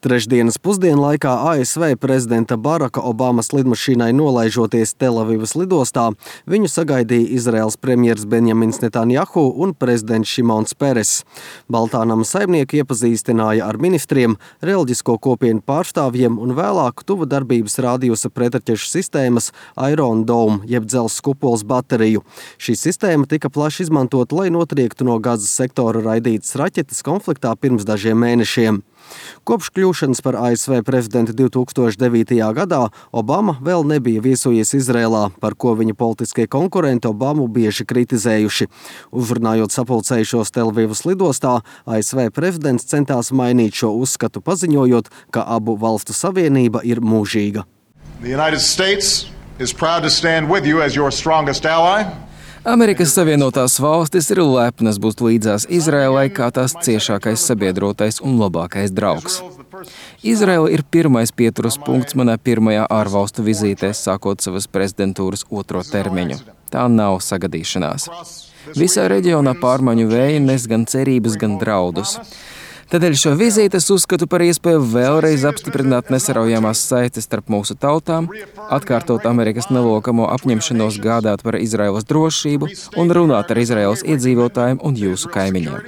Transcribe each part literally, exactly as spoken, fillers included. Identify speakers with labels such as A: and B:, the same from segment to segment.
A: Trešdienas pusdienlaikā A S V prezidenta Baraka Obamas lidmašīnai nolaižoties Telavivas lidostā, viņu sagaidīja Izraels premjers Benjamins Netanjahu un prezidents Šimons Peres. Baltānama saimnieki iepazīstināja ar ministriem, reliģisko kopienu pārstāvjiem un vēlāk tuva darbības rādījusa pretraķešu sistēmas Iron Dome, jeb dzelzs kupols bateriju. Šī sistēma tika plaši izmantota, lai notriektu no Gazas sektora raidītas raķetes konfliktā pirms dažiem mēnešiem. Kopš kļūšanas par A S V prezidentu divi tūkstoši devītajā gadā Obama vēl nebija viesojies Izrēlā, par ko viņa politiskie konkurenti Obamu bieži kritizējuši. Uzrunājot sapulcējušos Telavivas lidostā, A S V prezidents centās mainīt šo uzskatu, paziņojot, ka abu valstu savienība ir mūžīga.
B: The United States is proud to stand with you as your strongest ally.
C: Amerikas Savienotās valstis ir lepnas būt līdzās Izrēlai kā tās ciešākais sabiedrotais un labākais draugs. Izraela ir pirmais pieturas punkts manā pirmajā ārvalstu vizītē, sākot savas prezidentūras otro termiņu. Tā nav sagadīšanās. Visā reģionā pārmaiņu vēji nes gan cerības, gan draudus. Tādēļ šo vizīti es uzskatu par iespēju vēlreiz apstiprināt nesaraujamās saites starp mūsu tautām, atkārtot Amerikas nelokamo apņemšanos gādāt par Izraēlas drošību un runāt ar Izraēlas iedzīvotājiem un jūsu kaimiņiem.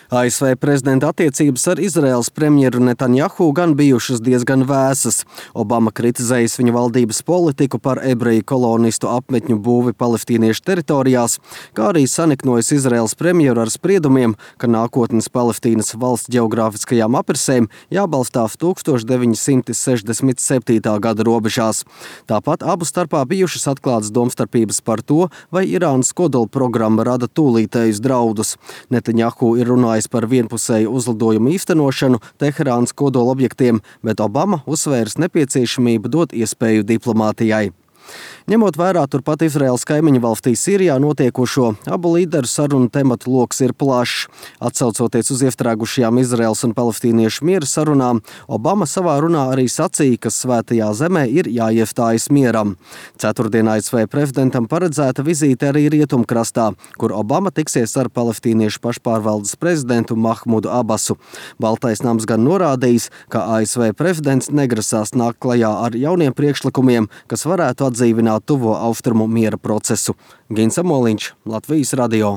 A: A S V prezidenta attiecības ar Izraēlas premjeru Netanjahu gan bijušas diezgan vēsas. Obama kritizējis viņa valdības politiku par ebreju kolonistu apmetņu būvi palestīniešu teritorijās, kā arī saniknojis Izraēlas premjeru ar spriedumiem, ka nākotnes Palestīnas valsts ģeogrāfiskajām aprisēm jābalstās tūkstoš deviņi simti sešdesmit septītā gada robežās. Tāpat abu starpā bijušas atklātas domstarpības par to, vai Irānas kodola programma rada tūlītējus draudus. Netanjahu ir runājis par vienpusēju uzlidojumu īstenošanu Teherānas kodola objektiem, bet Obama uzsvērs nepieciešamību dot iespēju diplomātijai. Ņemot vērā turpat Izraēlas kaimiņu valstī Sīrijā notiekošo, abu līderu sarunu tematu loks ir plašs. Atsaucoties uz iestrēgušajām Izraēlas un palestīniešu miera sarunām, Obama savā runā arī sacīja, ka svētajā zemē ir jāiestājas mieram. Ceturtdien A S V prezidentam paredzēta vizīte arī Rietumkrastā, kur Obama tiksies ar palestīniešu pašpārvaldes prezidentu Mahmudu Abasu. Baltais nams gan norādījis, ka A S V prezidents negrasās nākt klajā ar jauniem priekšlikumiem, kas varētu atdzīvināt tuvo austrumu miera procesu. Gins Amoliņš, Latvijas radio.